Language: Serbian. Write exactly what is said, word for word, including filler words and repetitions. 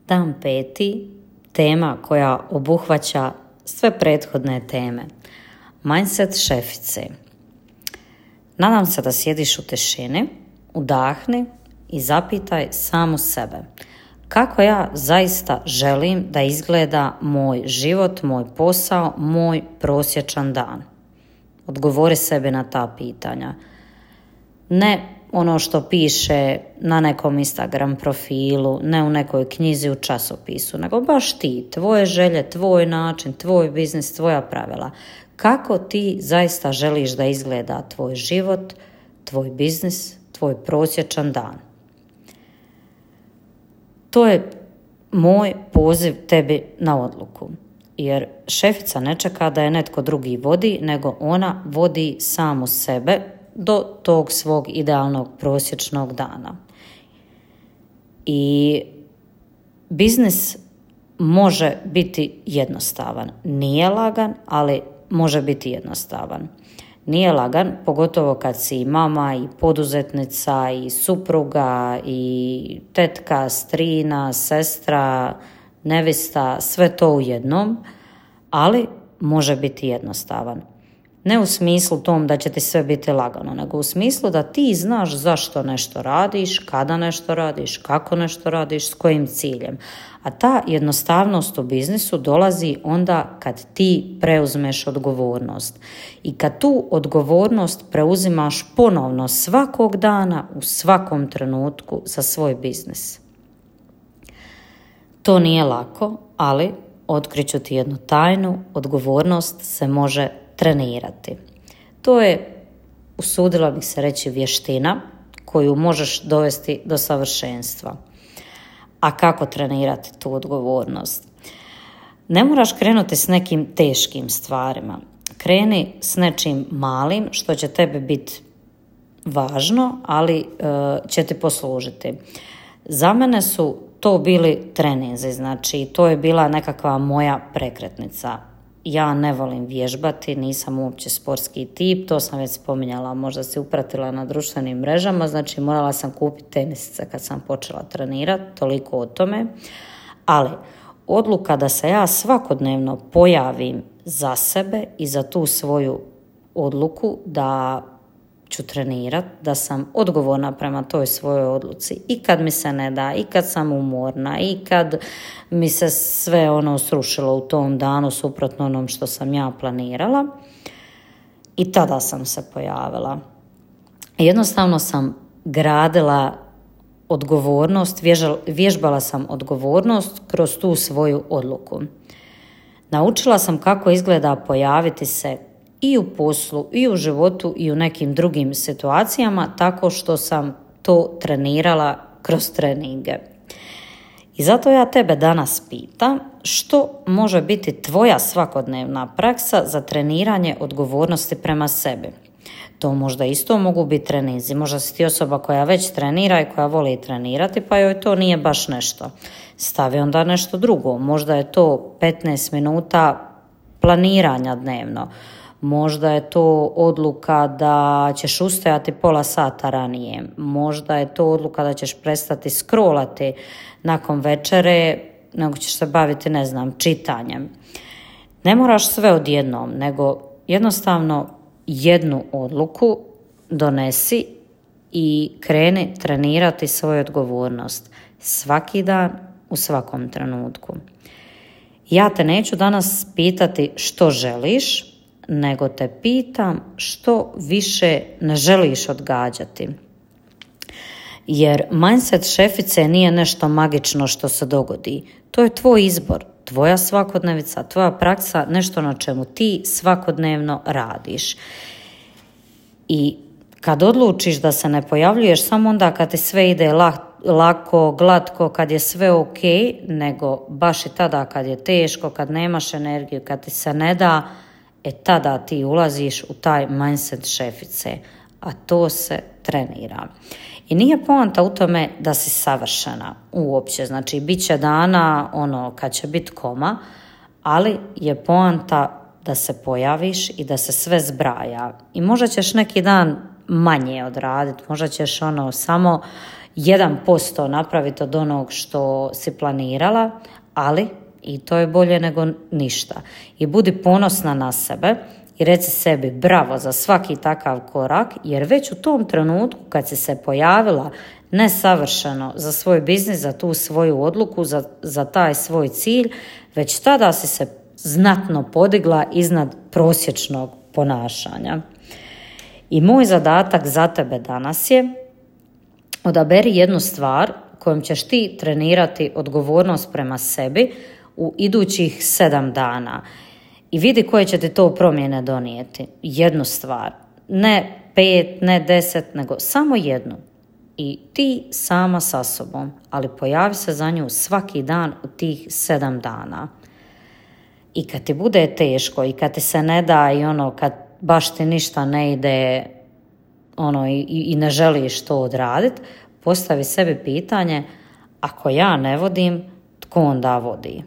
Dan peti, tema koja obuhvaća sve prethodne teme. Mindset šefice. Nadam se da sjediš u tišini, udahni i zapitaj samu sebe. Kako ja zaista želim da izgleda moj život, moj posao, moj prosječan dan? Odgovori sebi na ta pitanja. Ne ono što piše na nekom Instagram profilu, ne u nekoj knjizi u časopisu, nego baš ti, tvoje želje, tvoj način, tvoj biznis, tvoja pravila. Kako ti zaista želiš da izgleda tvoj život, tvoj biznis, tvoj prosječan dan? To je moj poziv tebi na odluku, jer šefica ne čeka da je netko drugi vodi, nego ona vodi samu sebe do tog svog idealnog prosječnog dana. I biznis može biti jednostavan. Nije lagan, ali može biti jednostavan. Nije lagan, pogotovo kad si i mama, i poduzetnica, i supruga, i tetka, strina, sestra, nevista, sve to u jednom, ali može biti jednostavan. Ne u smislu tom da će ti sve biti lagano, nego u smislu da ti znaš zašto nešto radiš, kada nešto radiš, kako nešto radiš, s kojim ciljem. A ta jednostavnost u biznisu dolazi onda kad ti preuzmeš odgovornost. I kad tu odgovornost preuzimaš ponovno svakog dana, u svakom trenutku za svoj biznis. To nije lako, ali otkriću ti jednu tajnu, odgovornost se može trenirati. To je, usudila bih se reći, vještina koju možeš dovesti do savršenstva. A kako trenirati tu odgovornost? Ne moraš krenuti s nekim teškim stvarima. Kreni s nečim malim što će tebi biti važno, ali uh, će ti poslužiti. Za mene su to bili treninzi, znači to je bila nekakva moja prekretnica. Ja ne volim vježbati, nisam uopće sportski tip, to sam već spominjala, možda si upratila na društvenim mrežama, znači morala sam kupiti tenisice kad sam počela trenirati, toliko o tome. Ali odluka da se ja svakodnevno pojavim za sebe i za tu svoju odluku da ću trenirati, da sam odgovorna prema toj svojoj odluci i kad mi se ne da, i kad sam umorna, i kad mi se sve ono srušilo u tom danu suprotno onom što sam ja planirala, i tada sam se pojavila. Jednostavno sam gradila odgovornost, vježbala sam odgovornost kroz tu svoju odluku. Naučila sam kako izgleda pojaviti se i u poslu, i u životu, i u nekim drugim situacijama, tako što sam to trenirala kroz treninge. I zato ja tebe danas pitam, što može biti tvoja svakodnevna praksa za treniranje odgovornosti prema sebi? To možda isto mogu biti treninzi. Možda si ti osoba koja već trenira i koja voli trenirati, pa joj to nije baš nešto. Stavi onda nešto drugo. Možda je to petnaest minuta planiranja dnevno. Možda je to odluka da ćeš ustajati pola sata ranije. Možda je to odluka da ćeš prestati scrollati nakon večere, nego ćeš se baviti, ne znam, čitanjem. Ne moraš sve odjednom, nego jednostavno jednu odluku donesi i kreni trenirati svoju odgovornost. Svaki dan, u svakom trenutku. Ja te neću danas pitati što želiš, nego te pitam što više ne želiš odgađati. Jer mindset šefice nije nešto magično što se dogodi. To je tvoj izbor, tvoja svakodnevica, tvoja praksa, nešto na čemu ti svakodnevno radiš. I kad odlučiš da se ne pojavljuješ samo onda kad ti sve ide lako, glatko, kad je sve ok, nego baš i tada kad je teško, kad nemaš energiju, kad ti se ne da, e tada ti ulaziš u taj mindset šefice, a to se trenira. I nije poanta u tome da si savršena uopće, znači bit će dana ono kad će biti koma, ali je poanta da se pojaviš i da se sve zbraja. I možda ćeš neki dan manje odraditi, možda ćeš ono samo jedan posto napraviti od onog što si planirala, ali i to je bolje nego ništa. I budi ponosna na sebe i reci sebi bravo za svaki takav korak, jer već u tom trenutku kad si se pojavila nesavršeno za svoj biznis, za tu svoju odluku, za, za taj svoj cilj, već tada si se znatno podigla iznad prosječnog ponašanja. I moj zadatak za tebe danas je odaberi jednu stvar kojom ćeš ti trenirati odgovornost prema sebi u idućih sedam dana i vidi koje će ti to promjene donijeti. Jednu stvar, ne pet, ne deset, nego samo jednu. I ti sama sa sobom, ali pojavi se za nju svaki dan u tih sedam dana. I kad ti bude teško i kad ti se ne da i ono, kad baš ti ništa ne ide ono, i, i ne želiš to odraditi, postavi sebi pitanje, ako ja ne vodim, tko onda vodi?